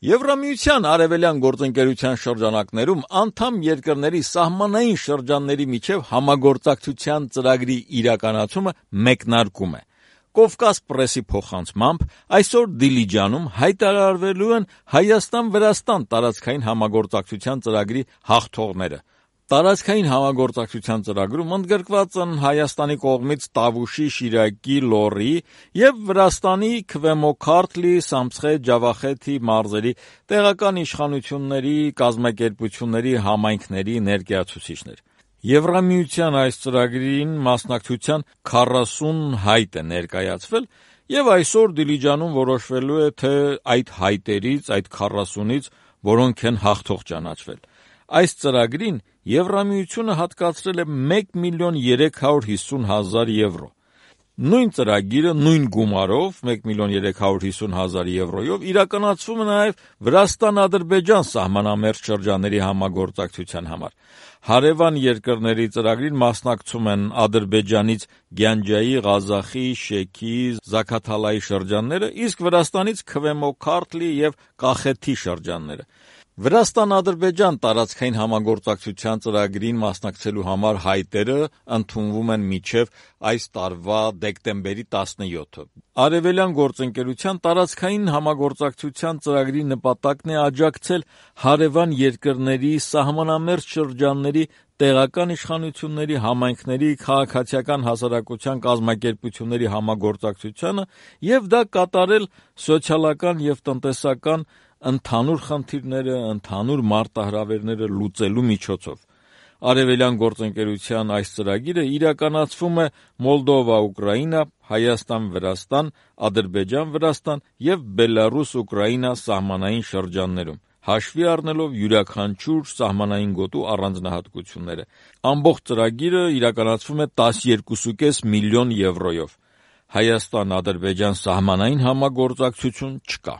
Եվրամիության արևելյան գործընկերության շրջանակներում անդամ երկրների սահմանային շրջանների միջև համագործակցության ծրագրի իրականացումը մեկնարկում է։ Կովկաս պրեսի փոխանցմամբ այսօր Դիլիջանում հայտարարվելու են Հայաստան-Վրաստան տարածքային համագործակցության ծրագրի հաղթողները։ Տարածքային համագործակցության ծրագրում ընդգրկված են Հայաստանի կողմից Տավուշի, Շիրակի, Լոռի և Վրաստանի Քվեմոքարթլի, Սամցխե, Ջավախեթի մարզերի տեղական իշխանությունների, կազմակերպությունների, համայնքների ներկայացուցիչներ։ Եվրամիության այս ծրագրին մասնակցության 40 հայտ է ներկայացվել, և այսօր Դիլիջանում որոշվելու է, թե այդ հայտերից, այդ 40-ից որոնք են հաղթող ճանաչվել։ Այս ծրագրին Եվրամիությունը հատկացրել է 1.350.000 եվրո։ Նույն ծրագիրը նույն գումարով 1.350.000 եվրոյով իրականացվում է նաև Վրաստան-Ադրբեջան սահմանամերձ շրջանների համագործակցության համար։ Հարևան երկրների ծրագրին մասնակցում են Ադրբեջանից Գյանջայի, Ղազախի, Շեքի, Զաքաթալայի շրջանները, իսկ Վրաստանից Քվեմոքարթլի և Կախեթի շրջանները։ Վրաստան-Ադրբեջան տարածքային համագործակցության ծրագրին մասնակցելու համար հայտերը ընդունվում են մինչև այս տարվա դեկտեմբերի 17-ը։ Արևելյան գործընկերության տարածքային համագործակցության ծրագրի նպատակն է աջակցել հարևան երկրների սահմանամերձ շրջանների տեղական իշխանությունների, համայնքների, քաղաքացիական հասարակության կազմակերպությունների համագործակցությանը և դա կատարել սոցիալական և տնտեսական ընդհանուր խնդիրները, ընդհանուր մարտահրավերները լուծելու միջոցով։ Արևելյան գործընկերության այս ծրագիրը իրականացվում է Մոլդովա-Ուկրաինա, Հայաստան-Վրաստան, Ադրբեջան-Վրաստան և Բելառուս-Ուկրաինա սահմանային շրջաններում, հաշվի առնելով յուրաքանչյուր սահմանային գոտու առանձնահատկությունները։ Ամբողջ ծրագիրը իրականացվում է 12.5 միլիոն եվրոյով։ Հայաստան-Ադրբեջան սահմանային համագործակցություն չկա։